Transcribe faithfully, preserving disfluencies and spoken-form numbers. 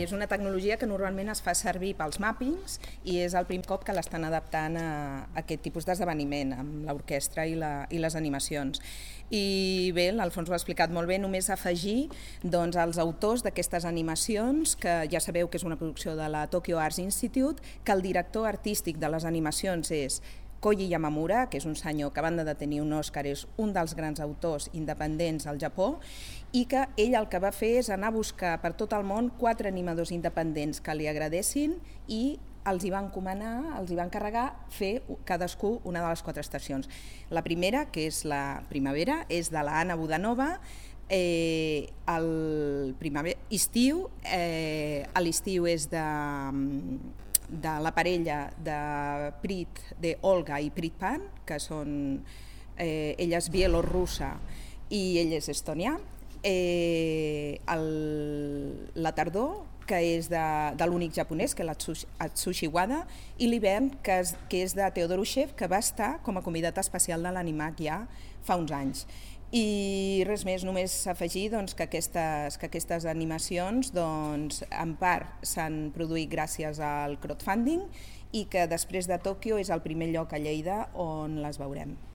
és una tecnologia que normalment es fa servir pels màppings i és el primer cop que l'estan adaptant a aquest tipus d'esdeveniment, amb l'orquestra i, la, i les animacions. I bé, l'Alfons ho ha explicat molt bé, només afegir doncs, els autors d'aquestes animacions, que ja sabeu que és una producció de la Tokyo Arts Institute, que el director artístic de les animacions és Koji Yamamura, que és un senyor que a banda de tenir un Òscar és un dels grans autors independents al Japó, i que ell el que va fer és anar a buscar per tot el món quatre animadors independents que li agradessin i els hi van encomanar, els hi van encarregar fer cadascú una de les quatre estacions. La primera, que és la primavera, és de la Anna Budanova. Eh, el primavera, estiu, eh, l'estiu és de... de la parella de Prit, de Olga i Prit Pan, que són, eh, ella és bielorrussa i ell és estonià. Eh, el, la tardor, que és de, de l'únic japonès, que és l'Atsushi Wada, i l'hivern, que és, que és de Theodor Ushev, que va estar com a convidat especial de l'Animac ja fa uns anys. I res més, només afegir doncs, que, aquestes, que aquestes animacions doncs, en part s'han produït gràcies al crowdfunding i que després de Tòquio és el primer lloc a Lleida on les veurem.